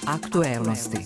Aktuelnosti.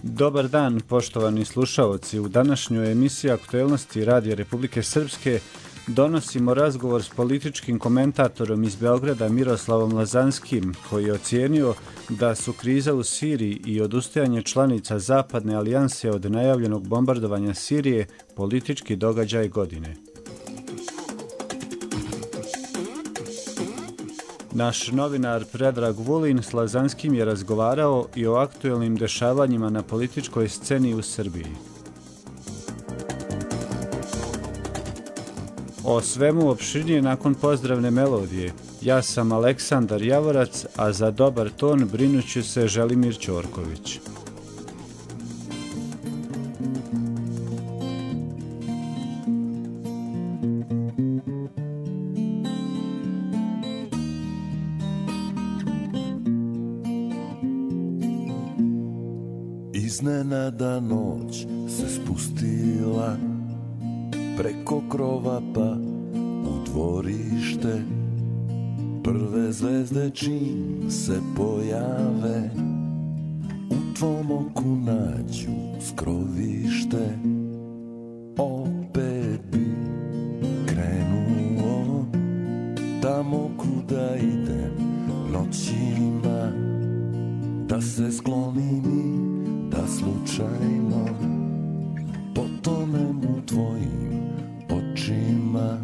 Dobar dan, poštovani slušaoci. U današnjoj emisiji Aktuelnosti Radija Republike Srpske donosimo razgovor s političkim komentatorom iz Beograda Miroslavom Lazanskim, koji je ocijenio da su kriza u Siriji i odustajanje članica Zapadne alijanse od najavljenog bombardovanja Sirije politički događaj godine. Naš novinar Predrag Vulin s Lazanskim je razgovarao i o aktuelnim dešavanjima na političkoj sceni u Srbiji. O svemu opširnije nakon pozdravne melodije. Ja sam Aleksandar Javorac, a za dobar ton brinuće se Želimir Ćorković. Iznenada noć se spustila preko krova pa u dvorište. Prve zvezde čim se pojave u tvom oku nađu skrovište. Opet bi krenuo tamo kuda idem noćima, da se sklonim i da slučajno potonem u tvojim očima.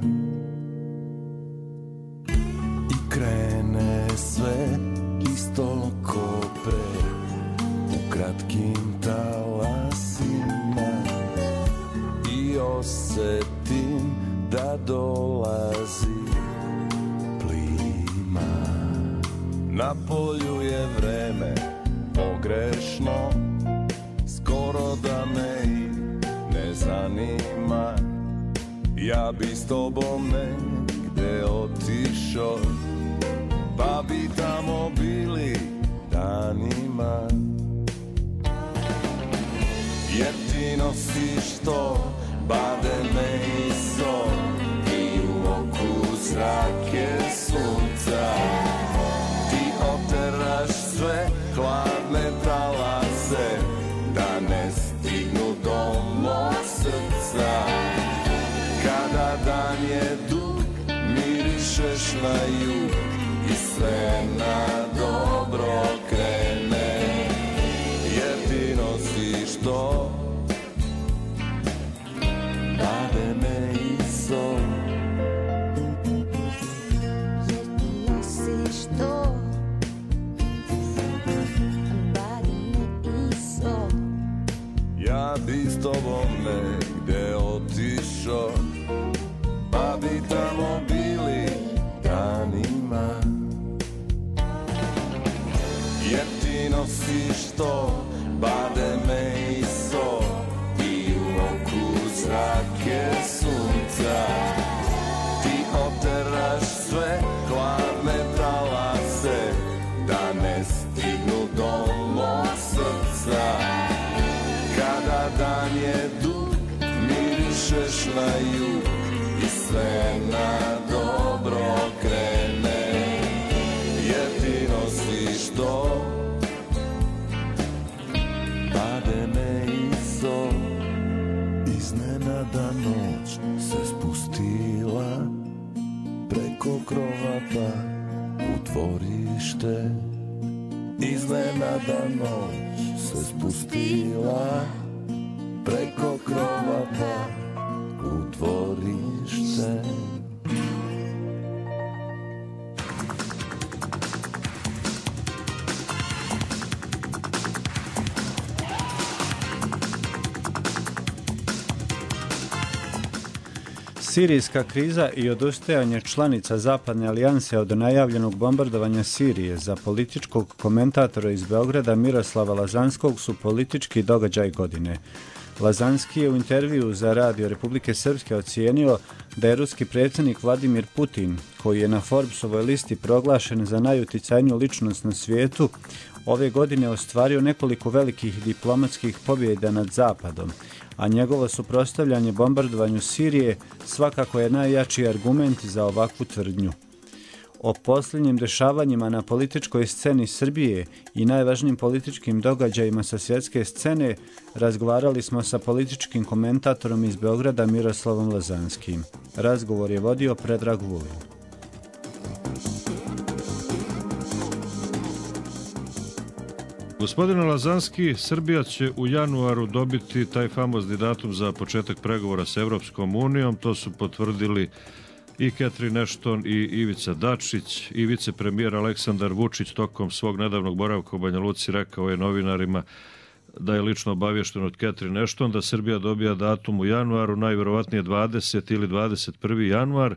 I krene sve isto ko pre, u kratkim talasima, i osetim da dolazi plima. Na polju je vreme pogrešno, skoro da me i ne zanima. Ja bi s tobom negde otišao, pa bi tamo bili danima. Jer ti nosiš to bademe i sol, i u oku zrake sunca. Ti oteraš sve hladne talase, da ne stignu do mog srca. Kada dan je dug, mirišeš na jug i sve na dobro krene. Jer ti nosiš to bademe i sol. Jer ti nosiš to ja bi s tobom negde otišao, pa bi tamo bili danima. Jer ti nosiš to bademe i sol, i u oku zrake sunca. Ti oteraš sve hladne talase, da ne stignu do mog srca. Kada dan je dug, mirišeš na jug i sve na dobro krene. Jer ti nosiš to bademe i sol. Iznenada noć se spustila preko krova pa u dvorište. Iznenada noć se spustila preko krova pa u dvorište. Sirijska kriza i odustajanje članica Zapadne alijanse od najavljenog bombardovanja Sirije za političkog komentatora iz Beograda Miroslava Lazanskog su politički događaj godine. Lazanski je u intervjuu za Radio Republike Srpske ocijenio da je ruski predsjednik Vladimir Putin, koji je na Forbesovoj listi proglašen za najuticajniju ličnost na svijetu, ove godine ostvario nekoliko velikih diplomatskih pobjeda nad Zapadom, a njegovo suprotstavljanje bombardovanju Sirije svakako je najjači argument za ovakvu tvrdnju. O posljednjim dešavanjima na političkoj sceni Srbije i najvažnijim političkim događajima sa svjetske scene razgovarali smo sa političkim komentatorom iz Beograda Miroslavom Lazanskim. Razgovor je vodio Predrag Vulin. Gospodine Lazanski, Srbija će u januaru dobiti taj famozni datum za početak pregovora s Evropskom unijom. To su potvrdili i Catherine Ashton i Ivica Dačić. I vicepremijer Aleksandar Vučić tokom svog nedavnog boravka u Banja Luci rekao je novinarima da je lično obavješten od Catherine Ashton da Srbija dobija datum u januaru, najvjerovatnije 20. ili 21. januar.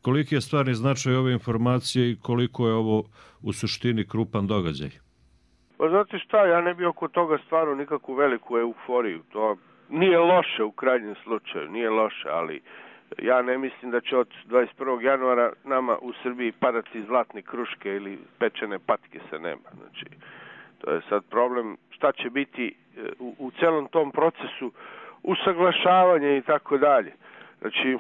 Koliki je stvarni značaj ove informacije i koliko je ovo u suštini krupan događaj? Pa znate šta, ja ne bi oko toga stvarno nikakvu veliku euforiju. To nije loše u krajnjem slučaju, nije loše, ali ja ne mislim da će od 21. januara nama u Srbiji padati zlatne kruške ili pečene patke sa neba. Znači, to je sad problem šta će biti u celom tom procesu usaglašavanja i tako dalje. Znači,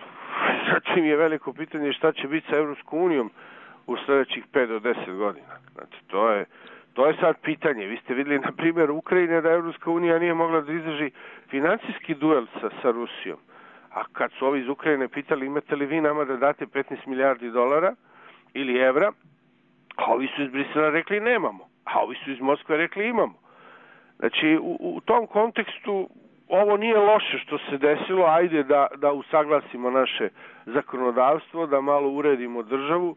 sad je veliko pitanje šta će biti sa Evropskom unijom u sljedećih 5 do 10 godina. Znači, to je sad pitanje. Vi ste vidjeli, na primjer, Ukrajine da Evropska unija nije mogla da izdrži financijski duel sa Rusijom. A kad su ovi iz Ukrajine pitali imate li vi nama da date 15 milijardi dolara ili evra, a ovi su iz Brisela rekli nemamo, a ovi su iz Moskve rekli imamo. Znači, u tom kontekstu ovo nije loše što se desilo, ajde da usaglasimo naše zakonodavstvo, da malo uredimo državu,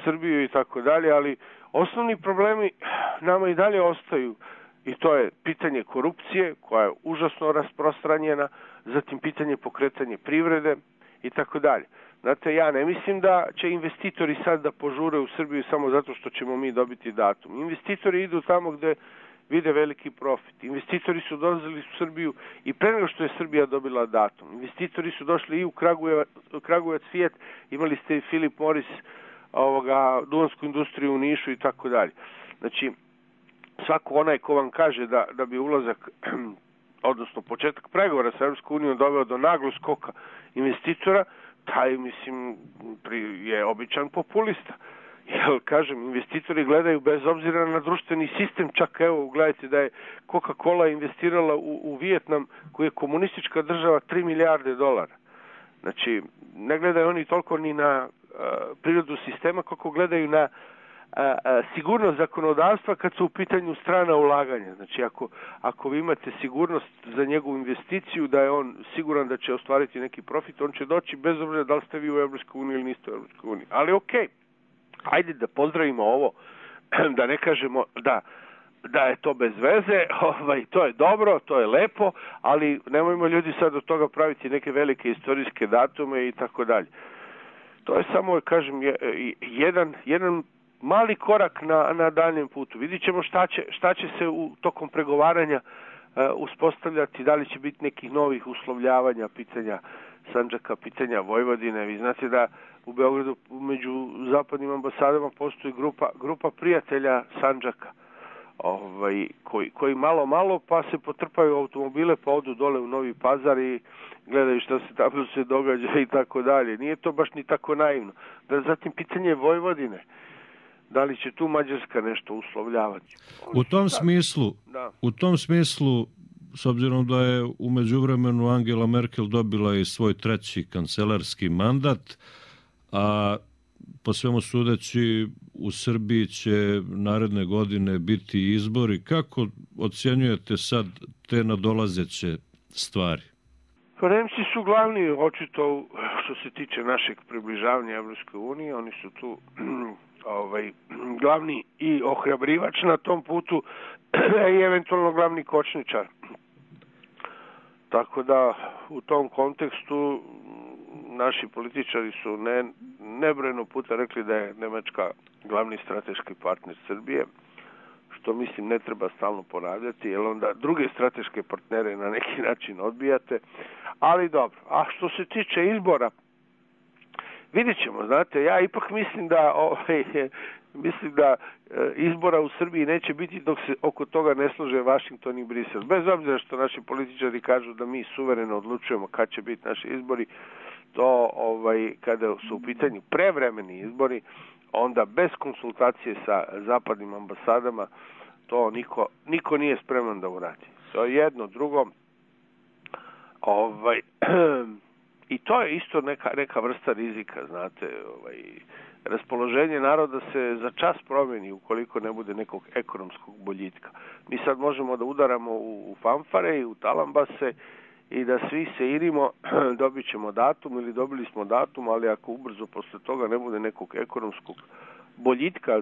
Srbiju i tako dalje, ali osnovni problemi nama i dalje ostaju i to je pitanje korupcije koja je užasno rasprostranjena, zatim pitanje pokretanja privrede i tako dalje. Znate, ja ne mislim da će investitori sad da požure u Srbiju samo zato što ćemo mi dobiti datum. Investitori idu tamo gde vide veliki profit. Investitori su dolazili u Srbiju i pre nego što je Srbija dobila datum. Investitori su došli i u Kragujevac Fiat, imali ste i Philip Morris, duvansku industriju u Nišu i tako dalje. Znači, svako onaj ko vam kaže da bi ulazak, odnosno početak pregovora sa Evropskom unijom doveo do naglog skoka investitora, taj, mislim, je običan populista. Jer, kažem, investitori gledaju bez obzira na društveni sistem, čak evo, gledajte da je Coca-Cola investirala u Vijetnam, koji je komunistička država, 3 milijarde dolara. Znači, ne gledaju oni toliko ni na prirodu sistema, kako gledaju na sigurnost zakonodavstva kad su u pitanju strana ulaganja. Znači, ako vi imate sigurnost za njegovu investiciju, da je on siguran da će ostvariti neki profit, on će doći bez obzira da li ste vi u EU ili niste u EU. Ali okej, ajde da pozdravimo ovo, da ne kažemo da je to bez veze, to je dobro, to je lepo, ali nemojmo ljudi sad od toga praviti neke velike istorijske datume i tako dalje. To je samo, kažem, jedan mali korak na daljem putu. Vidit ćemo šta će se tokom pregovaranja uspostavljati, da li će biti nekih novih uslovljavanja, pitanja Sandžaka, pitanja Vojvodine. Vi znate da u Beogradu među zapadnim ambasadama postoji grupa prijatelja Sandžaka, koji malo pa se potrpaju automobile, pa odu dole u Novi Pazar i gledaju šta se tamo se događa i tako dalje. Nije to baš ni tako naivno. Zatim pitanje Vojvodine. Da li će tu Mađarska nešto uslovljavati? U tom smislu, s obzirom da je u međuvremenu Angela Merkel dobila i svoj 3. kancelarski mandat, a po svemu sudeći u Srbiji će naredne godine biti izbori. Kako ocjenjujete sad te nadolazeće stvari? Pa Nemci su glavni, očito, što se tiče našeg približavanja Evropskoj uniji, oni su tu glavni i ohrabrivač na tom putu i eventualno glavni kočničar. Tako da u tom kontekstu naši političari su nebrojeno puta rekli da je Nemačka glavni strateški partner Srbije, što mislim ne treba stalno ponavljati, jer onda druge strateške partnere na neki način odbijate, ali dobro. A što se tiče izbora, vidjet ćemo, znate, ja ipak mislim da izbora u Srbiji neće biti dok se oko toga ne slože Vašington i Brisel. Bez obzira što naši političari kažu da mi suvereno odlučujemo kad će biti naši izbori, to kada su u pitanju prevremeni izbori, onda bez konsultacije sa zapadnim ambasadama to niko nije spreman da uradi. To je jedno, drugo. I to je isto neka vrsta rizika, znate, raspoloženje naroda se za čas promeni ukoliko ne bude nekog ekonomskog boljitka. Mi sad možemo da udaramo u fanfare i u talambase i da svi se irimo, dobit ćemo datum ili dobili smo datum, ali ako ubrzo posle toga ne bude nekog ekonomskog boljitka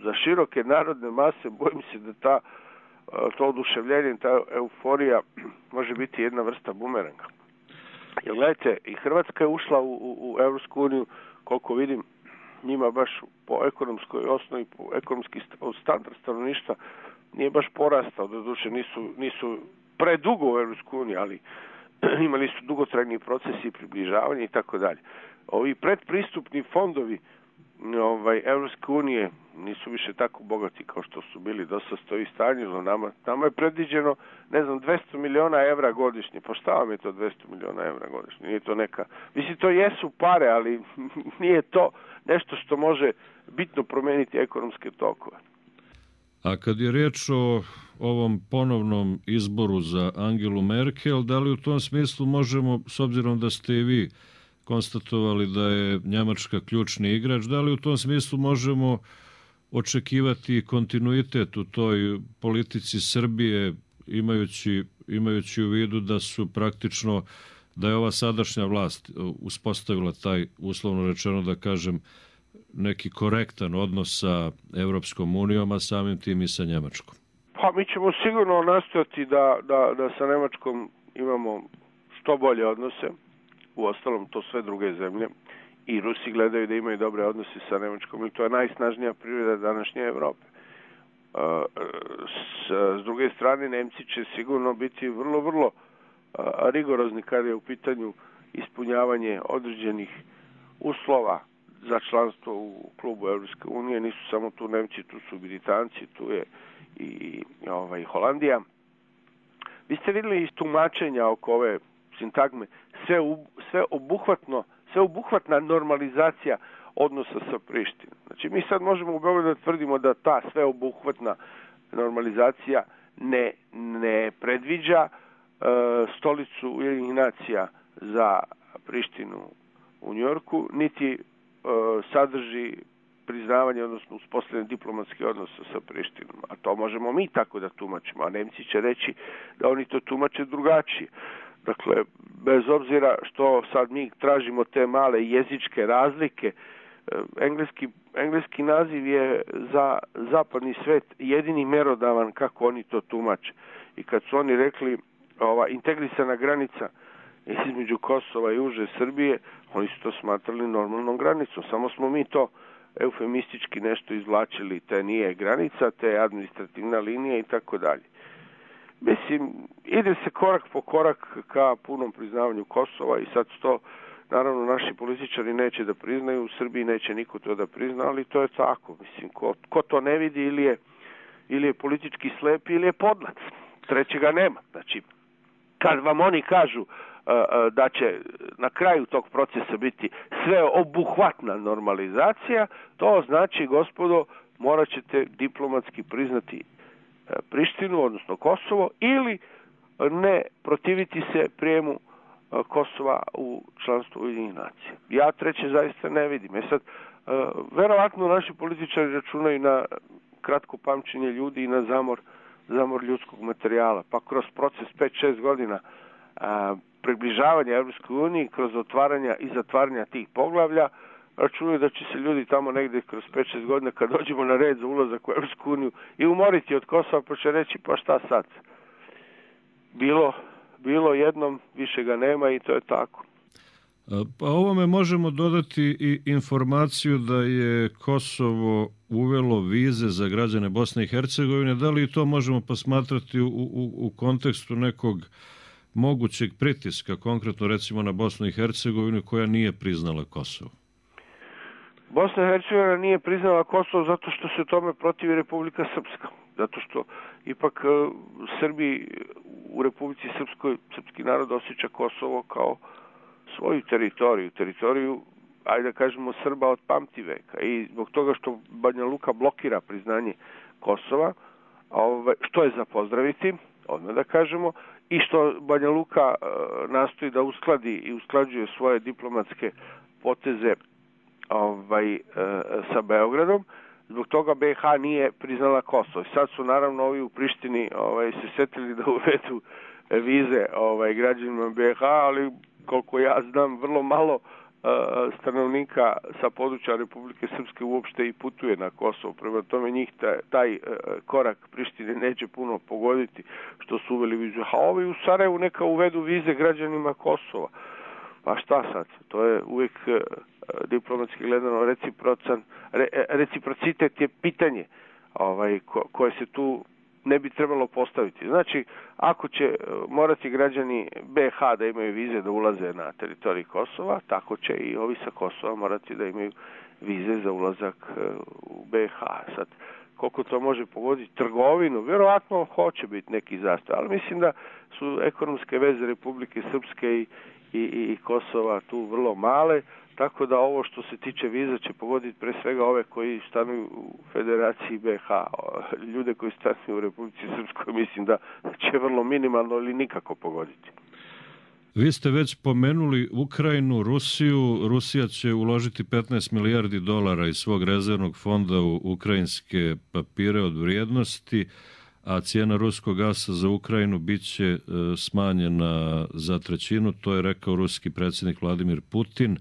za široke narodne mase, bojim se da to oduševljenje, ta euforija može biti jedna vrsta bumeranga. Jer gledajte, i Hrvatska je ušla u Evropsku uniju, koliko vidim, njima baš po ekonomskoj osnovi, po ekonomski standard stanovništva nije baš porastao, doduše nisu predugo u Evropsku uniju, ali imali su dugotrajni procesi približavanja i tako dalje. Ovi predpristupni fondovi Evropske unije nisu više tako bogati kao što su bili, dosta stoji stanjilo. Nama je predviđeno, 200 miliona evra godišnje. Pa šta vam je to 200 miliona evra godišnje? Nije to neka... Mislim, to jesu pare, ali nije to nešto što može bitno promeniti ekonomske tokove. A kad je riječ o ovom ponovnom izboru za Angelu Merkel, da li u tom smislu možemo, s obzirom da ste i vi konstatovali da je Njemačka ključni igrač, da li u tom smislu možemo očekivati kontinuitet u toj politici Srbije, imajući u vidu da su praktično, da je ova sadašnja vlast uspostavila taj, uslovno rečeno da kažem, neki korektan odnos sa Evropskom unijom, a samim tim i sa Njemačkom? Pa mi ćemo sigurno nastojati da sa Njemačkom imamo što bolje odnose. Uostalom, to sve druge zemlje. I Rusi gledaju da imaju dobre odnose sa Nemačkom i to je najsnažnija privreda današnje Evrope. S druge strane, Nemci će sigurno biti vrlo, vrlo rigorozni kada je u pitanju ispunjavanje određenih uslova za članstvo u klubu Evropske unije. Nisu samo tu Nemci, tu su Britanci, tu je i Holandija. Vi ste vidjeli iz tumačenja oko ove sintagme sveobuhvatna normalizacija odnosa sa Prištinom. Znači, mi sad možemo u Beogradu da tvrdimo da ta sveobuhvatna normalizacija ne predviđa stolicu Ujedinjenih nacija za Prištinu u Njujorku, niti sadrži priznavanje, odnosno uspostavljanje diplomatskih odnosa sa Prištinom. A to možemo mi tako da tumačimo, a Nemci će reći da oni to tumače drugačije. Dakle, bez obzira što sad mi tražimo te male jezičke razlike, engleski naziv je za zapadni svet jedini merodavan kako oni to tumače. I kad su oni rekli integrisana granica između Kosova i uže Srbije, oni su to smatrali normalnom granicom. Samo smo mi to eufemistički nešto izvlačili, te nije granica, te je administrativna linija i tako dalje. Mislim, ide se korak po korak ka punom priznavanju Kosova i sad to, naravno, naši političari neće da priznaju, u Srbiji neće niko to da prizna, ali to je tako. Mislim, ko to ne vidi ili je politički slep ili je podlac. Trećega nema. Znači, kad vam oni kažu da će na kraju tog procesa biti sveobuhvatna normalizacija, to znači, gospodo, morat ćete diplomatski priznati Prištinu, odnosno Kosovo, ili ne protiviti se prijemu Kosova u članstvo Ujedinjenih nacija. Ja treće zaista ne vidim. Sad, verovatno naši političari računaju na kratko pamćenje ljudi i na zamor ljudskog materijala, pa kroz proces 5-6 godina približavanja Evropskoj uniji, kroz otvaranja i zatvaranja tih poglavlja, računaju da će se ljudi tamo negde kroz 5-6 godina, kad dođemo na red za ulazak u Evropsku uniju, i umoriti od Kosova, pa će reći, pa šta sad? Bilo jednom, više ga nema i to je tako. Pa ovome možemo dodati i informaciju da je Kosovo uvelo vize za građane Bosne i Hercegovine. Da li to možemo posmatrati u kontekstu nekog mogućeg pritiska, konkretno recimo na Bosnu i Hercegovinu koja nije priznala Kosovo? Bosna i Hercegovina nije priznala Kosovo zato što se tome protivi Republika Srpska. Zato što ipak Srbi u Republici Srpskoj, srpski narod osjeća Kosovo kao svoju teritoriju, ajde da kažemo, Srba od pamtiveka. I zbog toga što Banja Luka blokira priznanje Kosova, što je za pozdraviti, odmah da kažemo, i što Banja Luka nastoji da uskladi i usklađuje svoje diplomatske poteze sa Beogradom, zbog toga BiH nije priznala Kosovo. Sad su naravno ovi u Prištini se setili da uvedu vize građanima BiH, ali koliko ja znam, vrlo malo stanovnika sa područja Republike Srpske uopšte i putuje na Kosovo. Prema tome njih taj korak Prištine neće puno pogoditi što su uveli vizu. A ovi u Sarajevu neka uvedu vize građanima Kosova. Pa šta sad? To je uvijek diplomatski gledano reciprocitet je pitanje koje se tu ne bi trebalo postaviti. Znači, ako će morati građani BiH da imaju vize da ulaze na teritoriji Kosova, tako će i ovi sa Kosova morati da imaju vize za ulazak u BiH. Sad, koliko to može pogoditi trgovinu, vjerovatno hoće biti neki zastoj, ali mislim da su ekonomske veze Republike Srpske i Kosova tu vrlo male, tako da ovo što se tiče viza će pogoditi pre svega ove koji stanuju u Federaciji BiH. Ljude koji stanuju u Republici Srpskoj mislim da će vrlo minimalno ili nikako pogoditi. Vi ste već pomenuli Ukrajinu, Rusiju. Rusija će uložiti 15 milijardi dolara iz svog rezervnog fonda u ukrajinske papire od vrijednosti, a cijena ruskog gasa za Ukrajinu bit će smanjena za 1/3. To je rekao ruski predsjednik Vladimir Putin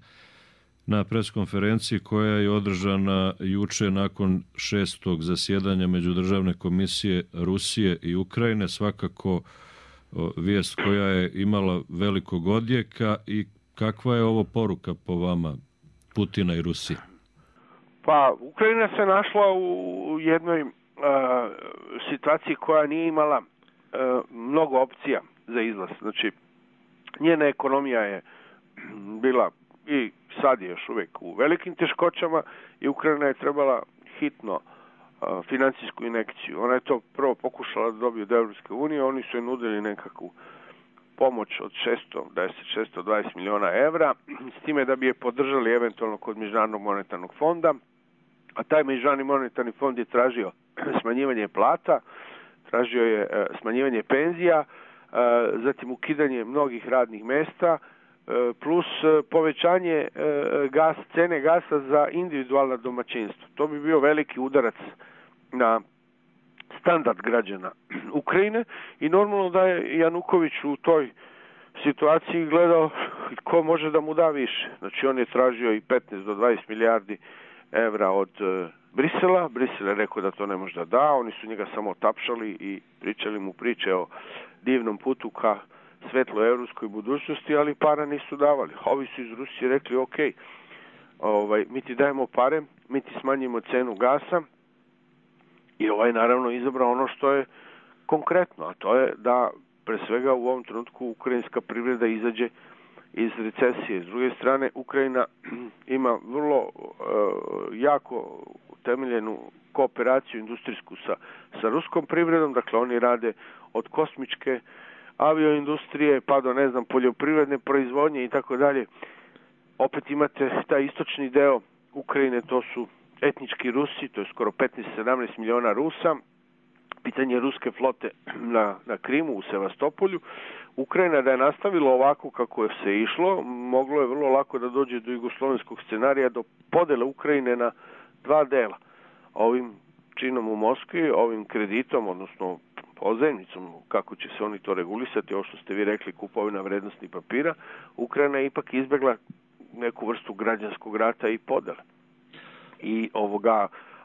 na preskonferenciji koja je održana juče nakon 6. zasjedanja Međudržavne komisije Rusije i Ukrajine. Svakako vijest koja je imala velikog odjeka. I kakva je ovo poruka po vama Putina i Rusije? Pa, Ukrajina se našla u jednoj situaciji koja nije imala mnogo opcija za izlaz. Znači, njena ekonomija je bila i sad je još uvijek u velikim teškoćama i Ukrajina je trebala hitno financijsku injekciju. Ona je to prvo pokušala da dobije od Europske unije, oni su je nudili nekakvu pomoć od 620 miliona evra, s time da bi je podržali eventualno kod Međunarodnog monetarnog fonda, a taj Međunarodni monetarni fond je tražio smanjivanje plata, tražio je smanjivanje penzija, zatim ukidanje mnogih radnih mesta, plus povećanje cene gasa za individualna domaćinstva. To bi bio veliki udarac na standard građana Ukrajine i normalno da je Januković u toj situaciji gledao ko može da mu da više. Znači on je tražio i 15 do 20 milijardi evra od Brisela. Brisel je rekao da to ne može da da, oni su njega samo tapšali i pričali mu priče o divnom putu ka svetloj evropskoj budućnosti, ali para nisu davali. Ovi su iz Rusije rekli, ok, mi ti dajemo pare, mi ti smanjimo cenu gasa i naravno izabrao ono što je konkretno, a to je da pre svega u ovom trenutku ukrajinska privreda izađe iz recesije. S druge strane, Ukrajina ima vrlo jako temeljenu kooperaciju industrijsku sa ruskom privredom, dakle oni rade od kosmičke avioindustrije pa do, poljoprivredne proizvodnje i tako dalje. Opet imate taj istočni deo Ukrajine, to su etnički Rusi, to je skoro 15-17 miliona Rusa, pitanje ruske flote na Krimu, u Sevastopolju. Ukrajina da je nastavila ovako kako je se išlo, moglo je vrlo lako da dođe do jugoslovenskog scenarija, do podele Ukrajine na dva dela. Ovim činom u Moskvi, ovim kreditom, odnosno pozajmicom, kako će se oni to regulisati, ovo što ste vi rekli, kupovina vrednostnih papira, Ukrajina je ipak izbjegla neku vrstu građanskog rata i podele. I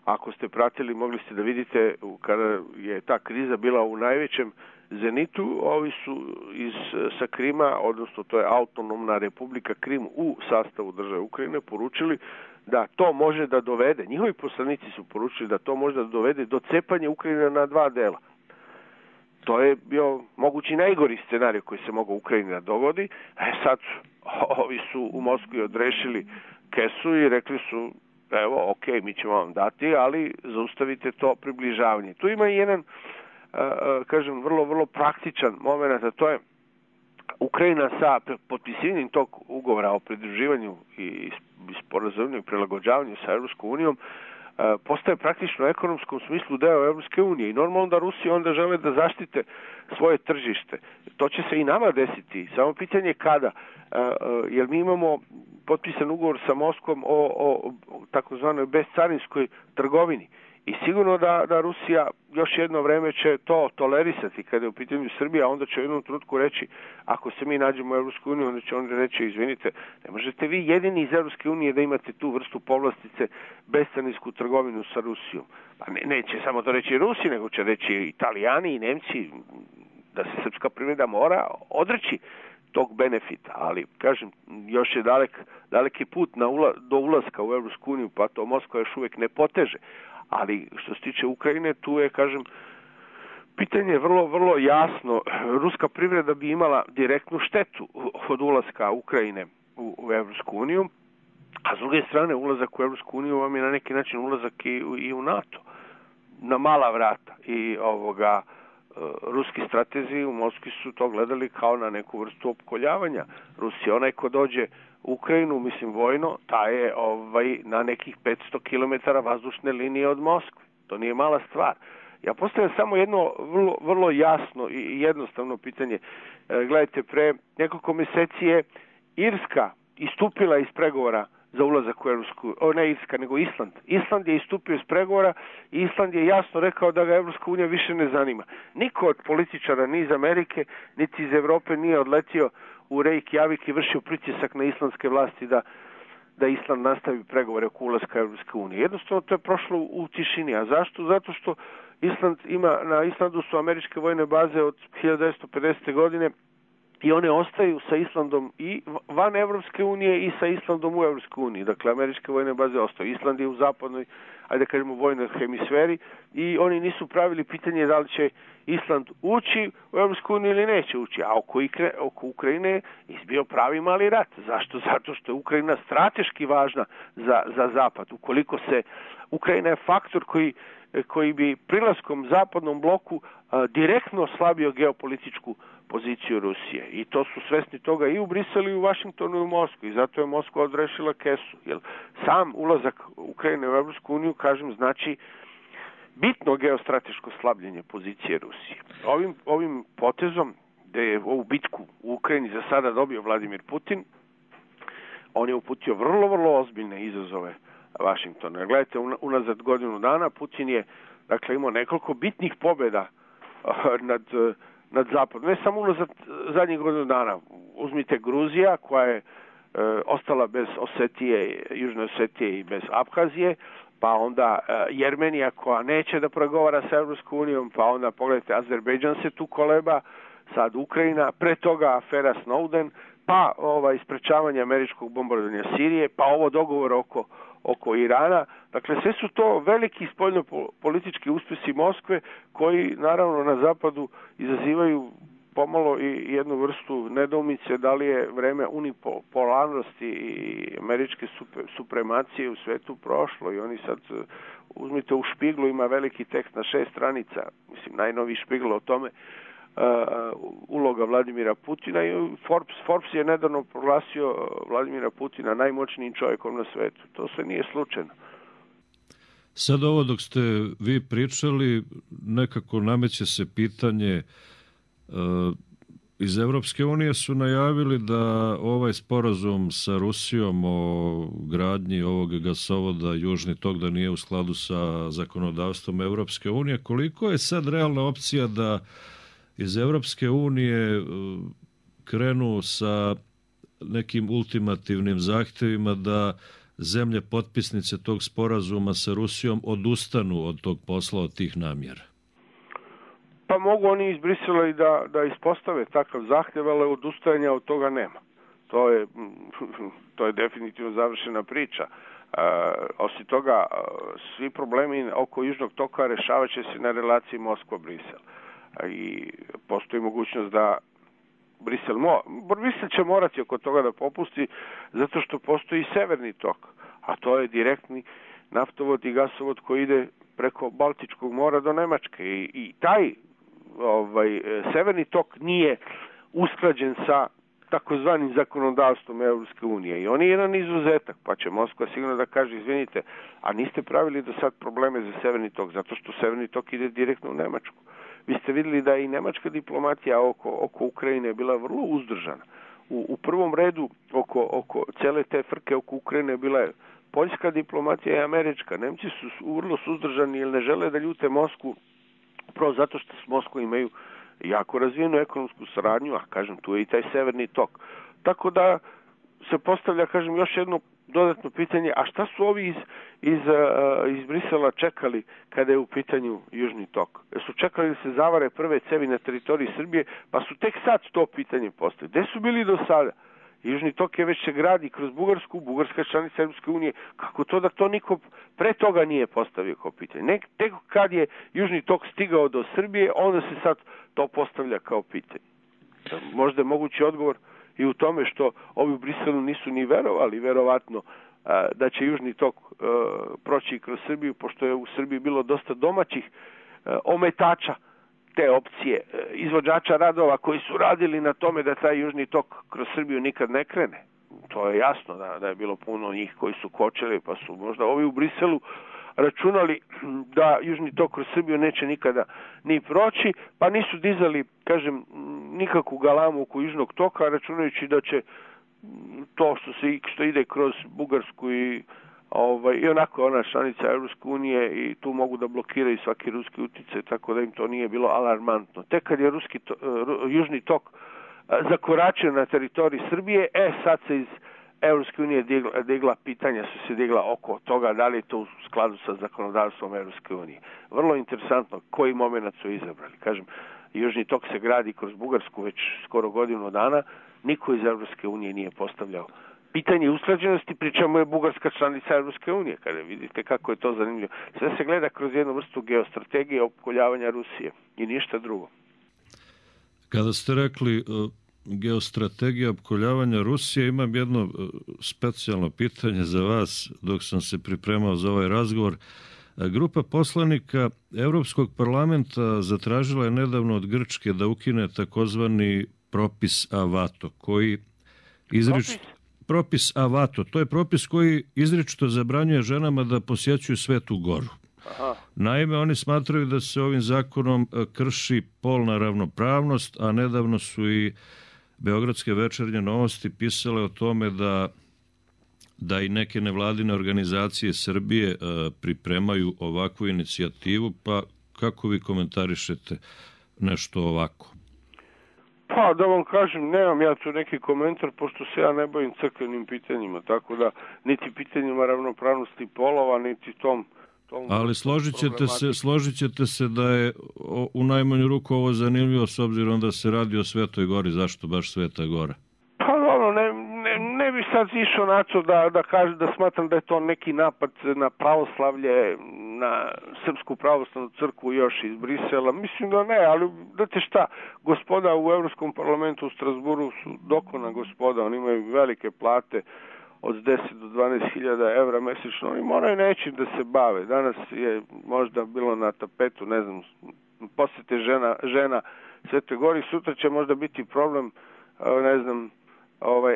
ako ste pratili, mogli ste da vidite kada je ta kriza bila u najvećem zenitu, ovi su sa Krima, odnosno to je autonomna republika Krim u sastavu države Ukrajine, poručili da to može da dovede, njihovi poslanici su poručili da to može da dovede do cepanja Ukrajine na dva dela. To je bio mogući najgori scenarij koji se mogao Ukrajini da dogodi. Sad ovi su u Moskvi odrešili kesu i rekli su, evo, ok, mi ćemo vam dati, ali zaustavite to približavanje. Tu ima i jedan, kažem, vrlo praktičan moment, a to je Ukrajina sa potpisivanjem tog ugovora o pridruživanju i sporazumivanju i prilagođavanju sa Evropskom unijom postaje praktično u ekonomskom smislu deo Evropske unije i normalno da Rusi onda žele da zaštite svoje tržište. To će se i nama desiti, samo pitanje kada, jer mi imamo potpisan ugovor sa Moskvom o takozvanoj bezcarinskoj trgovini. I sigurno da Rusija još jedno vreme će to tolerisati kada je u pitanju Srbija, onda će u jednom trenutku reći, ako se mi nađemo u Evropskoj uniji, onda će oni reći, izvinite, ne možete vi jedini iz Evropske unije da imate tu vrstu povlastice bezcarinsku trgovinu sa Rusijom. Pa neće samo to reći Rusi, nego će reći i Italijani i Nemci, da se srpska privreda mora odreći tog benefita, ali kažem, još je daleki put do ulaska u Evropsku uniju, pa to Moskva još uvijek ne poteže. Ali što se tiče Ukrajine, tu je, kažem, pitanje vrlo jasno. Ruska privreda bi imala direktnu štetu od ulaska Ukrajine u Evropsku uniju, a s druge strane ulazak u Evropsku uniju vam je na neki način ulazak i u NATO. Na mala vrata. I ruski stratezi u Moskvi su to gledali kao na neku vrstu opkoljavanja Rusije. Onaj ko dođe u Ukrajinu, mislim vojno, taj je na nekih 500 km vazdušne linije od Moskve. To nije mala stvar. Ja postavljam samo jedno vrlo jasno i jednostavno pitanje. Gledajte, pre nekoliko mjeseci je Irska istupila iz pregovora za ulazak u Evropsku, ne Irska, nego Island. Island je istupio iz pregovora i Island je jasno rekao da ga Evropska unija više ne zanima. Niko od političara, ni iz Amerike, niti iz Evrope nije odletio u Reykjavik i vršio pritisak na islandske vlasti da Island nastavi pregovore oko ulaska Evropske unije. Jednostavno to je prošlo u tišini. A zašto? Zato što na Islandu su američke vojne baze od 1950. godine i one ostaju sa Islandom i van Evropske unije i sa Islandom u Evropskoj uniji. Dakle, američke vojne baze ostaju. Island je u zapadnoj, ajde kažemo, vojnoj hemisferi i oni nisu pravili pitanje da li će Island ući u Evropsku uniju ili neće ući. A oko Ukrajine je izbio pravi mali rat. Zašto? Zato što je Ukrajina strateški važna za Zapad. Ukoliko Ukrajina je faktor koji bi prilaskom zapadnom bloku direktno slabio geopolitičku poziciju Rusije. I to su svesni toga i u Briselu i u Vašingtonu i u Moskvi. I zato je Moskva odrešila kesu. Jer sam ulazak Ukrajine u Evropsku uniju, kažem, znači bitno geostrateško slabljenje pozicije Rusije. Ovim potezom, gde je ovu bitku u Ukrajini za sada dobio Vladimir Putin, on je uputio vrlo ozbiljne izazove Vašingtonu. Jer gledajte, unazad godinu dana Putin je, dakle, imao nekoliko bitnih pobjeda nad Zapadom. Ne samo unazad zadnjih godinu dana. Uzmite Gruzija, koja je ostala bez Osetije, Južne Osetije i bez Abhazije, pa onda Jermenija koja neće da pregovara sa Evropskom unijom, pa onda pogledajte Azerbejdžan se tu koleba, sad Ukrajina, pre toga afera Snowden, pa isprečavanje američkog bombardovanja Sirije, pa ovo dogovor oko Irana. Dakle, sve su to veliki spoljno-politički uspjesi Moskve koji, naravno, na zapadu izazivaju pomalo i jednu vrstu nedoumice da li je vreme unipolarnosti i američke supremacije u svetu prošlo. I oni sad, uzmite u Špiglu, ima veliki tekst na 6 stranica, mislim, najnoviji Špigl o tome, uloga Vladimira Putina i Forbes je nedavno proglasio Vladimira Putina najmoćnijim čovjekom na svetu. To sve nije slučajno. Sad ovo dok ste vi pričali, nekako nameće se pitanje, iz Evropske unije su najavili da ovaj sporazum sa Rusijom o gradnji ovog gasovoda Južni tok da nije u skladu sa zakonodavstvom Evropske unije. Koliko je sad realna opcija da iz Evropske unije krenu sa nekim ultimativnim zahtjevima da zemlje potpisnice tog sporazuma sa Rusijom odustanu od tog posla, od tih namjera? Pa mogu oni iz Brisela i da ispostave takav zahtjev, ali odustajanja od toga nema. To je definitivno završena priča. Osim toga, svi problemi oko Južnog toka rešavat će se na relaciji Moskva-Brisel. I postoji mogućnost da Brisel će morati oko toga da popusti, zato što postoji i severni tok, a to je direktni naftovod i gasovod koji ide preko Baltičkog mora do Nemačke. I taj severni tok nije usklađen sa takozvanim zakonodavstvom Evropske unije. I on je jedan izuzetak, pa će Moskva sigurno da kaže, izvinite, a niste pravili do sad probleme za severni tok, zato što severni tok ide direktno u Nemačku. Vi ste vidjeli da i nemačka diplomatija oko Ukrajine je bila vrlo uzdržana. U prvom redu oko cele te frke oko Ukrajine bila je poljska diplomatija i američka. Nemci su vrlo suzdržani jer ne žele da ljute Moskvu, upravo zato što s Moskvom imaju jako razvijenu ekonomsku saradnju, a kažem, tu je i taj severni tok. Tako da se postavlja, kažem, još jedno dodatno pitanje, a šta su ovi iz Brisela čekali kada je u pitanju Južni tok? Su čekali da se zavare prve cevi na teritoriji Srbije, pa su tek sad to pitanje postavili. Gde su bili do sada? Južni tok je već se gradi kroz Bugarsku, Bugarska članica Europske unije. Kako to da to niko pre toga nije postavio kao pitanje? Tek kad je Južni tok stigao do Srbije, onda se sad to postavlja kao pitanje. Možda je mogući odgovor i u tome što ovi u Briselu nisu ni verovali, verovatno, da će Južni tok proći kroz Srbiju, pošto je u Srbiji bilo dosta domaćih ometača te opcije, izvođača radova koji su radili na tome da taj Južni tok kroz Srbiju nikad ne krene. To je jasno da je bilo puno njih koji su kočili, pa su možda ovi u Briselu računali da Južni tok kroz Srbiju neće nikada ni proći, pa nisu dizali, kažem, nikakvu galamu oko Južnog toka, računajući da će to što ide kroz Bugarsku i onako ona članica Europske unije i tu mogu da blokiraju svaki ruski uticaj, tako da im to nije bilo alarmantno. Tek kad je Južni tok zakoračio na teritoriji Srbije, sad se iz Europske unije pitanja su se digla oko toga da li je to u skladu sa zakonodavstvom Europske unije. Vrlo interesantno koji moment su izabrali. Kažem, Južni tok se gradi kroz Bugarsku već skoro godinu dana, niko iz Europske unije nije postavljao pitanje usklađenosti, pričamo je Bugarska članica Europske unije, kada vidite kako je to zanimljivo. Sve se gleda kroz jednu vrstu geostrategije opkoljavanja Rusije i ništa drugo. Kada ste rekli geostrategija opkoljavanja Rusije, imam jedno specijalno pitanje za vas dok sam se pripremao za ovaj razgovor. Grupa poslanika Evropskog parlamenta zatražila je nedavno od Grčke da ukine takozvani propis Avato, koji propis Avato, to je propis koji izričito zabranjuje ženama da posjećuju Svetu Goru. Aha. Naime, oni smatraju da se ovim zakonom krši polna ravnopravnost, a nedavno su i Beogradske večernje novosti pisale o tome da i neke nevladine organizacije Srbije pripremaju ovakvu inicijativu, pa kako vi komentarišete nešto ovako? Pa, da vam kažem, nemam ja tu neki komentar, pošto se ja ne bavim crkvenim pitanjima, tako da niti pitanjima ravnopravnosti polova, niti tom... Ali složit ćete se da je u najmanju ruku ovo zanimljivo s obzirom da se radi o Svetoj Gori. Zašto baš Sveta Gora? Pa ne bi sad išao na to da kažem da smatram da je to neki napad na pravoslavlje, na Srpsku pravoslavnu crkvu još iz Brisela. Mislim da ne, ali znate šta, gospoda u Evropskom parlamentu u Strasburu su dokona gospoda, oni imaju velike plate od 10 do 12.000 evra mesečno, oni moraju nečim da se bave. Danas je možda bilo na tapetu, ne znam, posjete žena Svetoj Gori, sutra će možda biti problem, ne znam,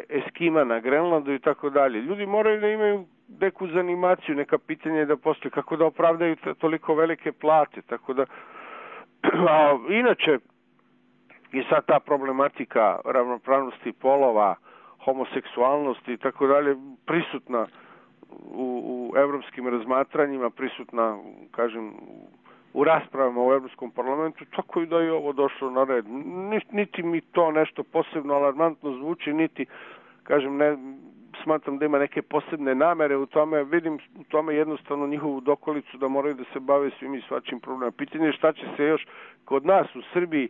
Eskima na Grenlandu i tako dalje. Ljudi moraju da imaju neku zanimaciju, neka pitanja da postoje, kako da opravdaju toliko velike plate, tako da inače je sad ta problematika ravnopravnosti polova, homoseksualnosti i tako dalje prisutna u evropskim razmatranjima, prisutna, kažem, u raspravama u Evropskom parlamentu, tako i da je ovo došlo na red. Niti mi to nešto posebno alarmantno zvuči, niti, kažem, smatram da ima neke posebne namere u tome, vidim u tome jednostavno njihovu dokolicu da moraju da se bave svim i svačim problemima. Pitanje je šta će se još kod nas u Srbiji,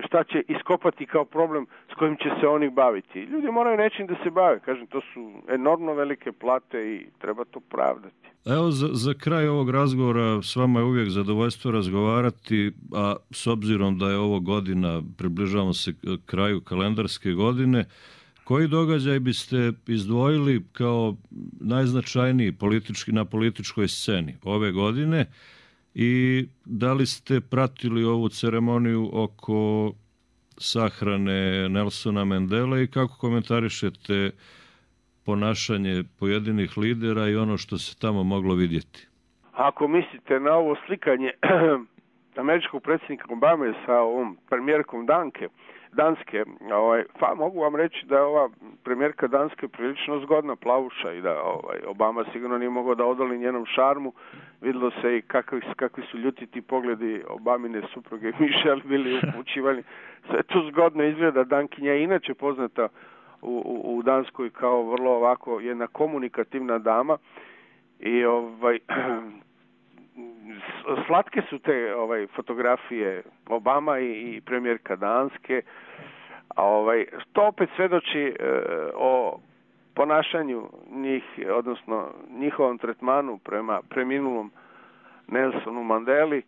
šta će iskopati kao problem s kojim će se oni baviti. Ljudi moraju nečim da se bave, kažem, to su enormno velike plate i treba to pravdati. Evo, za kraj ovog razgovora s vama je uvijek zadovoljstvo razgovarati, a s obzirom da je ovo godina, približavamo se kraju kalendarske godine, koji događaj biste izdvojili kao najznačajniji na političkoj sceni ove godine i da li ste pratili ovu ceremoniju oko sahrane Nelsona Mandele i kako komentarišete ponašanje pojedinih lidera i ono što se tamo moglo vidjeti? Ako mislite na ovo slikanje američkog predsjednika Obame sa ovom premijerkom Danske, mogu vam reći da je ova premijerka Danske prilično zgodna plavuša i da Obama sigurno nije mogao da odoli njenom šarmu. Videlo se i kakvi su ljutiti pogledi Obamine supruge Michelle bili upućivani. Sve to zgodno izgleda. Dankinja je inače poznata u Danskoj kao vrlo ovako jedna komunikativna dama i slatke su te fotografije Obama i premijerka Danske. To opet svedoči o ponašanju njih, odnosno njihovom tretmanu prema preminulom Nelsonu Mandeli.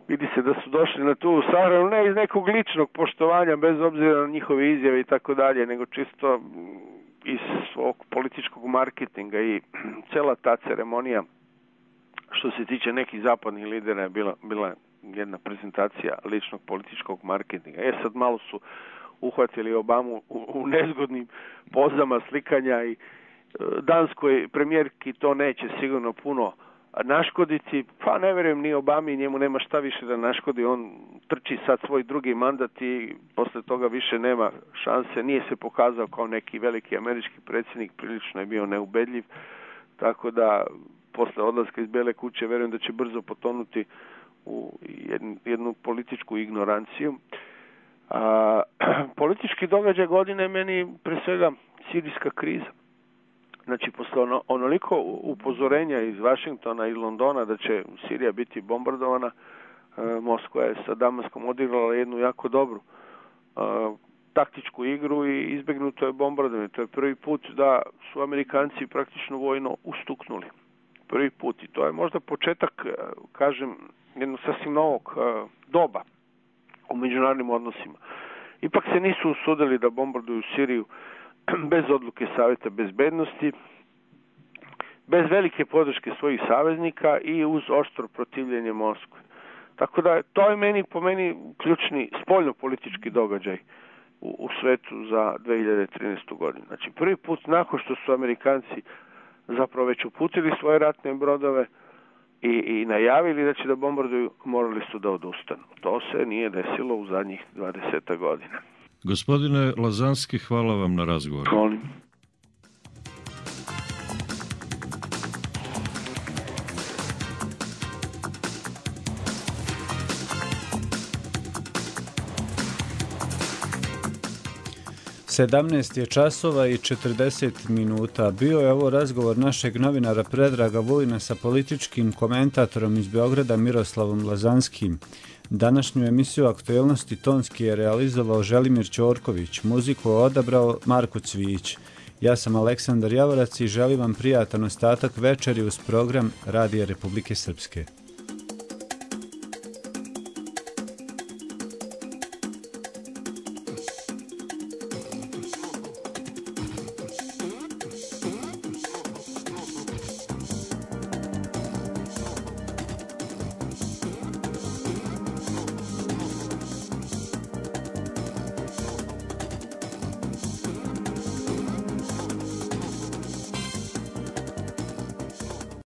Vidi se da su došli na tu sahranu ne iz nekog ličnog poštovanja, bez obzira na njihove izjave i tako dalje, nego čisto iz svog političkog marketinga i cela ta ceremonija što se tiče nekih zapadnih lidera je bila jedna prezentacija ličnog političkog marketinga. Sad malo su uhvatili Obamu u nezgodnim pozama slikanja i danskoj premijerki to neće sigurno puno naškoditi, pa ne vjerujem ni Obami, njemu nema šta više da naškodi, on trči sad svoj drugi mandat i posle toga više nema šanse, nije se pokazao kao neki veliki američki predsjednik, prilično je bio neubedljiv, tako da posle odlaska iz Bele kuće vjerujem da će brzo potonuti u jednu političku ignoranciju. Politički događaj godine meni pre svega sirijska kriza. Znači, posle onoliko upozorenja iz Vašingtona i Londona da će Sirija biti bombardovana, Moskva je sa Damaskom odigrala jednu jako dobru taktičku igru i izbjegnuto je bombardovanje. To je prvi put da su Amerikanci praktično vojno ustuknuli. Prvi put i to je možda početak, kažem, jednog sasvim novog doba u međunarodnim odnosima. Ipak se nisu usudili da bombarduju Siriju bez odluke Savjeta bezbednosti, bez velike podrške svojih saveznika i uz oštro protivljenje Moskve. Tako da to je po meni ključni spoljno-politički događaj u svetu za 2013. godinu. Znači, prvi put nakon što su Amerikanci zapravo već uputili svoje ratne brodove i najavili da će da bombarduju, morali su da odustanu. To se nije desilo u zadnjih 20 godina. Gospodine Lazanski, hvala vam na razgovor. Molim. Sedamnaest je časova i 40 minuta. Bio je ovo razgovor našeg novinara Predraga Vulina sa političkim komentatorom iz Beograda Miroslavom Lazanskim. Današnju emisiju Aktuelnosti tonski je realizovao Želimir Ćorković, muziku je odabrao Marko Cvijić. Ja sam Aleksandar Javorac i želim vam prijatan ostatak večeri uz program Radija Republike Srpske.